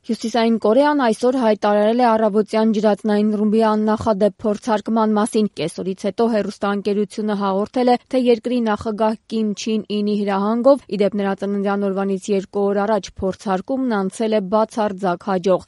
Հյուսիսային Կորեան այսօր հայտարարել է առավոտյան ջրածնային ռումբի աննախադեպ փորձարկման մասին։ Կեսօրից հետո հեռուստաընկերությունը հաղորդել է, թե երկրի նախագահ Կիմ Չին Ինի հրահանգով, ի դեպ նրա ծննդյան օրվանից 2 օր առաջ փորձարկումն անցել է բացարձակ հաջող։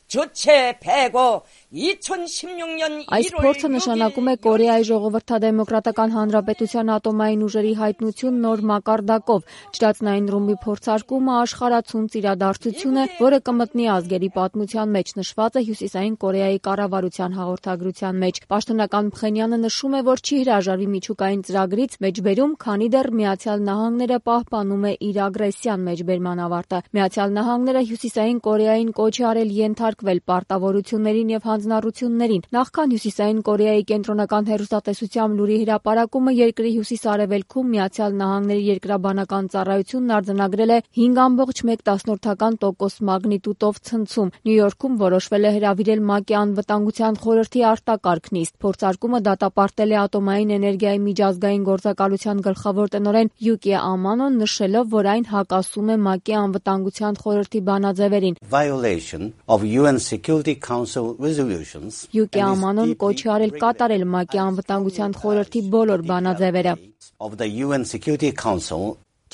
Այս փորձը նշանակում է Կորեայի Ժողովրդադեմոկրատական Հանրապետության ատոմային ուժերի հայտնություն նոր մակարդակով։ Ջրածնային ռումբի փորձարկումը աշխարհացունց իրադարձություն է, որը կմտնի ազգերի պատմության մեջ, նշված է Հյուսիսային Կորեայի կառավարության հաղորդագրության մեջ։ Պաշտոնական Փխենյանը նշում է, որ չի հրաժարվի միջուկային ծրագրից մեջբերում, քանի դեռ Միացյալ Նահանգները պահպանում է իր ագրեսիան մեջբերման ավարտը։ Միացյալ Նահանգները Հյուսիսային Կորեային կոչ է արել ենթարկվել պարտավորություններին եւ հանձնառություններին։ Նախքան Հյուսիսային Կորեայի կենտրոնական հեռուստատեսությամբ լուրի հրապարակումը երկրի հյուսիս-արևելքում Միացյալ Նահանգների երկրաբանական ծառայությունն արձանագրել է 5.1% մագնիտուդով ցնցում։ Նյու Յորքում որոշվել է հրավիրել ՄԱԿ-ի անվտանգության խորհրդի արտակարգ նիստ։ Փորձարկումը դատապարտել է ատոմային էներգիայի միջազգային գործակալության գլխավոր տնօրեն Յուկի Ամանոն, նշելով, որ այն հակասում է ՄԱԿ-ի անվտանգության խորհրդի բանաձևերին։ Յուկի Ամանոն կոչ է արել կատարել ՄԱԿ-ի անվտանգության խորհրդի բոլոր բանաձևերը։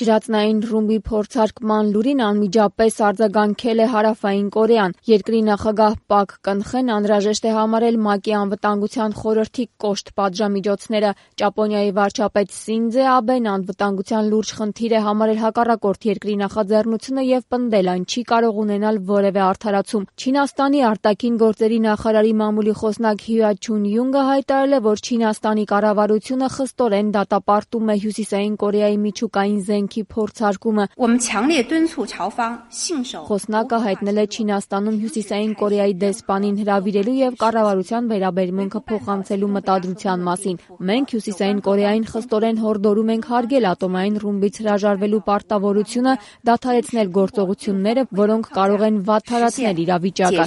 Ջրածնային ռումբի փորձարկման լուրին անմիջապես արձագանքել է Հարավային Կորեան։ Երկրի նախագահ Պակ Կնխեն անհրաժեշտ է համարել ՄԱԿ-ի անվտանգության խորհրդի կոշտ պատժամիջոցները։ Ճապոնիայի վարչապետ Սինձե Աբեն անվտանգության լուրջ խնդիր է համարել հակառակորդ երկրի նախաձեռնությունը եւ պնդել այն չի կարող ունենալ որևէ արդարացում։ Չինաստանի արտաքին գործերի նախարարի մամուլի խոսնակ Հյուա Չուն-յունգը հայտարարել է, որ Չինաստանի կառավարությունը խստորեն դատապարտում է Հյուսիսային Կորեայի միջուկային զենքի փորձարկումը։ Խոսնակը հայտնել է Չինաստանում Հյուսիսային Կորեայի դեսպանին հրավիրելու եւ կառավարության վերաբերմունքը փոխանցելու մտադրության մասին։ Մենք Հյուսիսային Կորեային խստորեն հորդորում ենք հարգել ատոմային ռումբից հրաժարվելու պարտավորությունը, դադարեցնել գործողությունները, որոնք կարող են վատթարացնել իրավիճակը,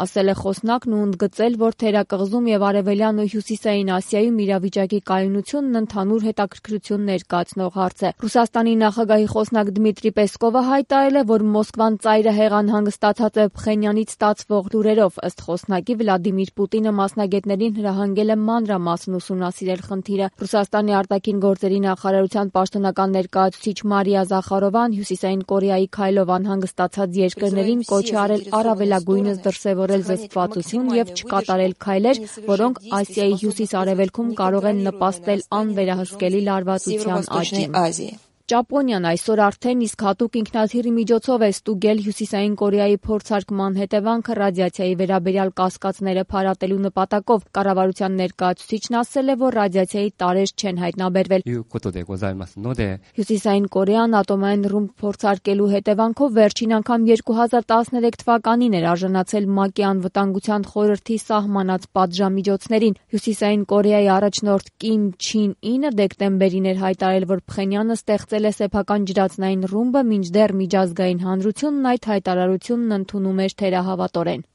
ասել է խոսնակն ու ընդգծել, որ Թերակղզում եւ Արևելյան ու Հյուսիսային Ասիայում իրավիճակի կայունությունն ընդհանուր հետաքրքրություն ներկայացնող հարց է։ Ռուսաստանի նախագահի խոսնակ Դմիտրի Պեսկովը հայտարարել է, որ Մոսկվան ծայրահեղ անհանգստացած է Փխենյանից ստացվող լուրերով։ Ըստ խոսնակի, Վլադիմիր Պուտինը մասնագետներին հրահանգել է մանրամասն ուսումնասիրել խնդիրը։ Ռուսաստանի արտաքին գործերի նախարարության պաշտոնական ներկայացուցիչ Մարիա Զախարովան Հյուսիսային Կորեայի քայլով անհանգստացած երկրներին կոչ է արել առավելագույնս դրսևորել զսպվածություն եւ չկատարել քայլեր, որոնք Ասիայի հյուսիս-արևելքում կարող են նպաստել անվերահսկելի լարվածության աճին։ Ճապոնիան այսօր արդեն իսկ հատուկ ինքնաթիռի միջոցով է ստուգել Հյուսիսային Կորեայի փորձարկման հետևանքը ռադիացիայի վերաբերյալ կասկածները փարատելու նպատակով։ Կառավարության ներկայացուցիչն ասել է, որ ռադիացիայի տարրեր չեն հայտնաբերվել։ Հյուսիսային Կորեան ատոմային ռումբ փորձարկելու հետևանքով վերջին անգամ 2013 թվականին էր արժանացել ՄԱԿ-ի անվտանգության խորհրդի սահմանած պատժամիջոցներին։ Հյուսիսային Կորեայի առաջնորդ Կիմ Չին Ինը դեկտեմբերին էր հայտարարել, որ Փխենյանը ստեղծել է սեփական ջրածնային ռումբը, մինչդեռ միջազգային հանրությունն այդ հայտարարությունն ընդունում էր թերահավատորեն։